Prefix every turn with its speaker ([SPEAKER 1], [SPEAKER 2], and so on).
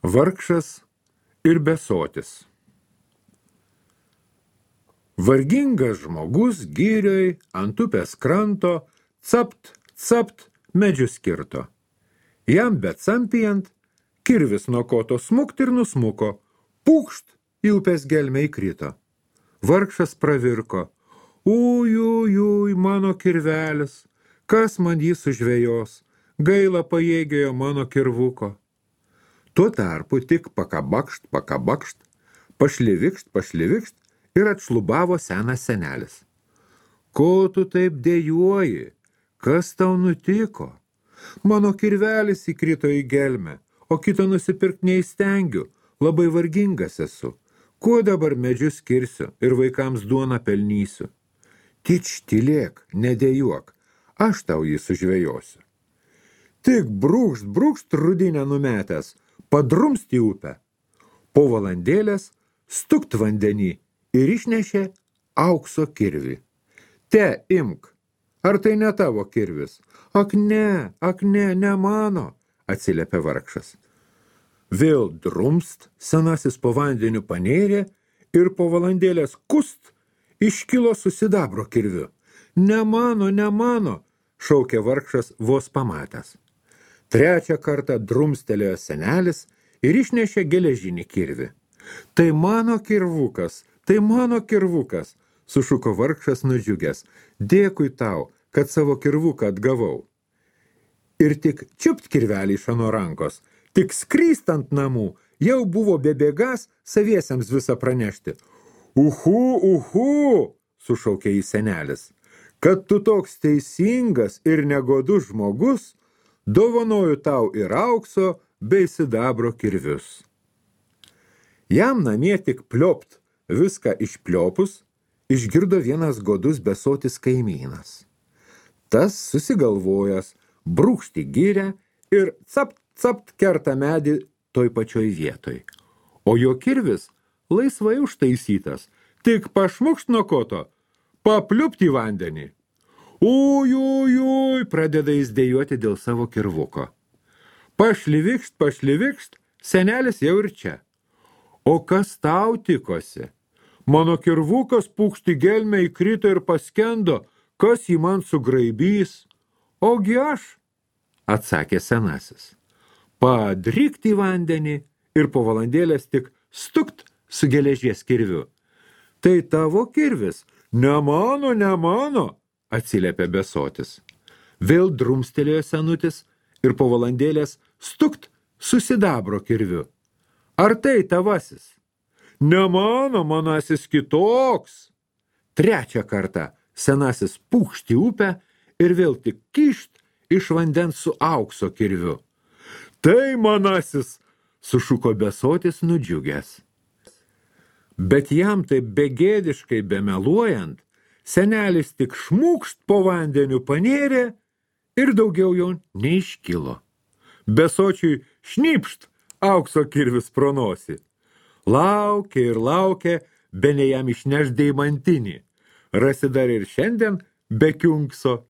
[SPEAKER 1] Vargšas ir besotis. Vargingas žmogus girioj ant upės kranto capt, capt medžius kirto. Jam becampiant, kirvis nuo koto smukt ir nusmuko, pūkšt į upės gelmę įkrito. Vargšas pravirko, uj, mano kirvelis, kas man jį sužvejos, gaila pajėgėjo mano kirvuko. Tuo tarpu tik pakabakšt, pašlivikšt ir atšlubavo senas senelis. Ko tu taip dejuoji? Kas tau nutiko? Mano kirvelis įkrito į gelmę, o kito nusipirkt neįstengiu, labai vargingas esu. Kuo dabar medžius kirsiu ir vaikams duoną pelnysiu? Tylėk, nedejuok, aš tau jį sužvejosiu. Tik brūkšt rudinę numetęs, padrumst į upę. Po valandėlės stukt vandenį ir išnešė aukso kirvį. Te, imk, ar tai ne tavo kirvis? Ak ne, ne mano, atsiliepė vargšas. Vėl drumst, senasis po vandeniu panėrė ir po valandėlės kust iškilo su sidabro kirviu. Ne mano, šaukė vargšas vos pamatęs. Trečią kartą drumstelėjo senelis ir išnešė geležinį kirvį. Tai mano kirvukas, sušuko vargšas nudžiugęs. Dėkui tau, kad savo kirvuką atgavau. Ir tik čiupt kirvelį iš ano rankos, tik skryst ant namų, jau buvo bebėgas saviesiems visą pranešti. Uhu, sušaukė į senelis, kad tu toks teisingas ir negodus žmogus, dovanoju tau ir aukso bei sidabro kirvius. Jam namie tik pliopt, viską išpliopus, išgirdo vienas godus besotis kaimynas. Tas susigalvojęs, brūkšti gyrę ir capt kerta medį toj pačioj vietoj. O jo kirvis laisvai užtaisytas, tik pašmukšt nuo koto, papliupt į vandenį. Uj, pradeda jis dejuoti dėl savo kirvuko. Pašlivikšt, senelis jau ir čia. O kas tau tikosi? Mano kirvukas pūkšt į gelmę įkrito ir paskendo, kas jį man sugraibys? Ogi aš, atsakė senasis. Padrykt į vandenį ir po valandėlės tik stukt su geležies kirviu. Tai tavo kirvis, ne mano, atsiliepė besotis. Vėl drumstelėjo senutis ir po valandėlės stukt su sidabro kirviu. Ar tai tavasis? Ne manasis kitoks. Trečią kartą senasis pūkšt į upę ir vėl tik kišt iš vandens su aukso kirviu. Tai manasis, sušuko besotis nudžiugęs. Bet jam taip begėdiškai bemeluojant, senelis tik šmūkšt po vandeniu panėrė ir daugiau jau neiškilo. Besočiui šnypšt aukso kirvis pro nosį. Laukė, bene jam išneš deimantinį. Rasi dar ir šiandien be kiunkso